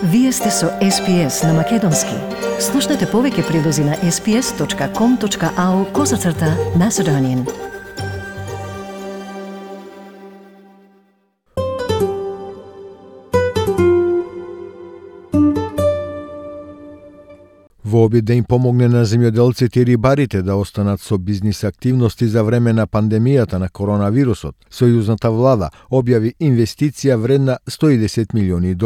Вие сте со SPS на Македонски. Слушнете повеќе прилози на sps.com.au/Macedonian. Во обид да им помогне на земјоделците и рибарите да останат со бизнис активности за време на пандемијата на коронавирусот, сојузната влада објави инвестиција вредна $110 милиони.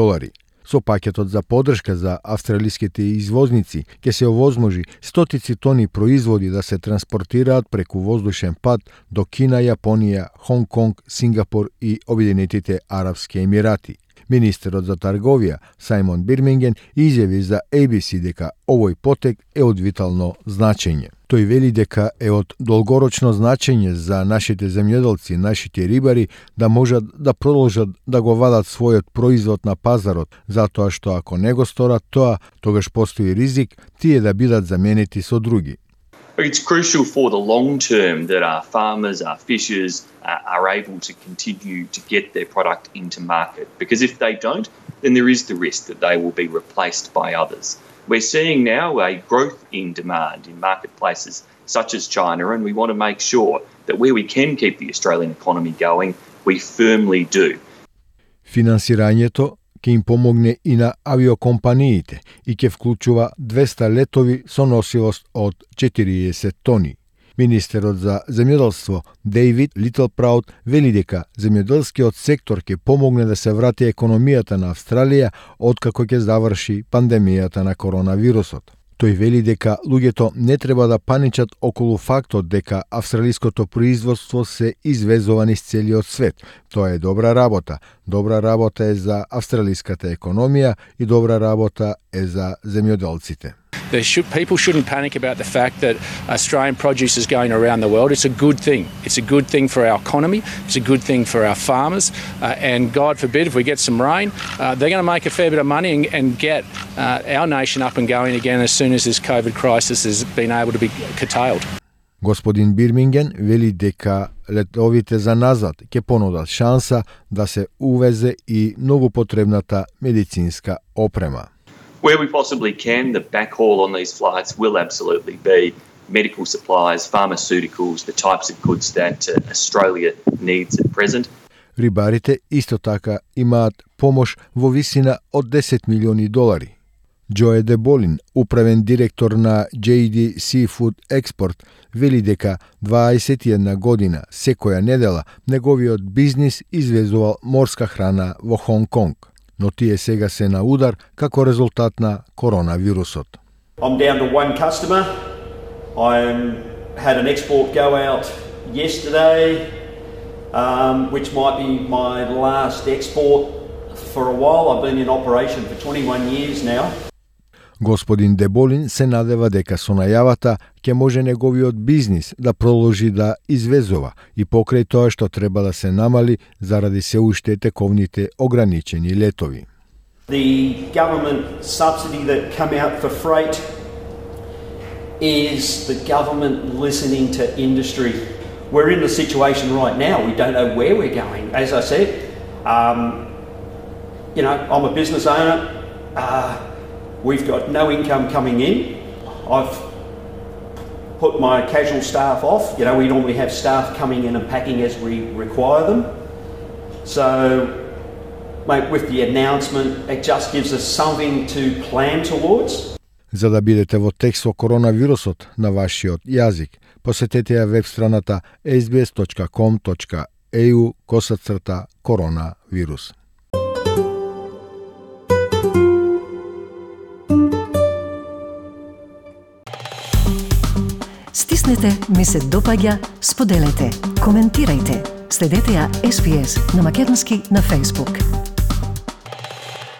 Со пакетот за поддршка за австралиските извозници ќе се овозможи стотици тони производи да се транспортираат преку воздушен пат до Кина, Јапонија, Хонг Конг, Сингапур и Обединетите Арапски Емирати. Министерот за трговија Сајмон Бирминген изјави за ABC дека овој потек е од витално значење. Тој вели дека е од долгорочно значење за нашите земјоделци, нашите рибари да можат да продолжат да го вадат својот производ на пазарот, затоа што ако не го сторат тоа, тогаш постои ризик тие да бидат заменети со други. It's crucial for the long term that our farmers, our fishers are able to continue to get their product into market, because if they don't, then there is the risk that they will be replaced by others. We're seeing now a growth in demand in marketplaces such as China, and we want to make sure that where we can keep the Australian economy going, we firmly do. Финансирањето ќе им помогне и на авиокомпаниите и ќе вклучува 200 летови со носивост од 40 тони. Министерот за земјоделство Дейвид Литлпраут вели дека земјоделскиот сектор ќе помогне да се врати економијата на Австралија откако ќе заврши пандемијата на коронавирусот. Тој вели дека луѓето не треба да паничат околу фактот дека австралиското производство се извезува низ целиот свет. Тоа е добра работа. Добра работа е за австралиската економија и добра работа е за земјоделците. People shouldn't panic about the fact that Australian produce is going around the world. It's a good thing. It's a good thing for our economy. It's a good thing for our farmers. And God forbid, if we get some rain, they're going to make a fair bit of money and get our nation up and going again as soon as this COVID crisis has been able to be curtailed. Господин Бирминген вели дека летовите за назад ќе понудат шанса да се увезе и многу потребната медицинска опрема. Where we possibly can, the backhaul on these flights will absolutely be medical supplies, pharmaceuticals, the types of goods that Australia needs at present. Рибарите исто така имаат помош во висина од $10 милиони. Джое Деболин, управен директор на JD Seafood Export, вели дека 21 година секоја недела неговиот бизнис извезувал морска храна во Хонг Конг, но тие сега се на удар како резултат на коронавирусот. I'm down to one customer. I had an export go out yesterday, which might be my last export for a while. I've been in operation for 21 years now. Господин Деболин се надева дека со најавата ќе може неговиот бизнис да продолжи да извезува и покрај тоа што треба да се намали заради се уште тековните ограничени летови. The government subsidy that come out for freight is the government listening to industry. We're in the situation right now. We don't know where we're going. As I said, I'm a business owner. We've got no income coming in. I've put my casual staff off. We normally have staff coming in and packing as we require them. So, mate, with the announcement, it just gives us something to plan towards. За да бидете во текст со коронавирусот на вашиот јазик, посетете ја веб страната sbs.com.au/коронавирус. Стиснете, ми се допаѓа, споделете, коментирајте. Следете ја SPS на Македонски на Facebook.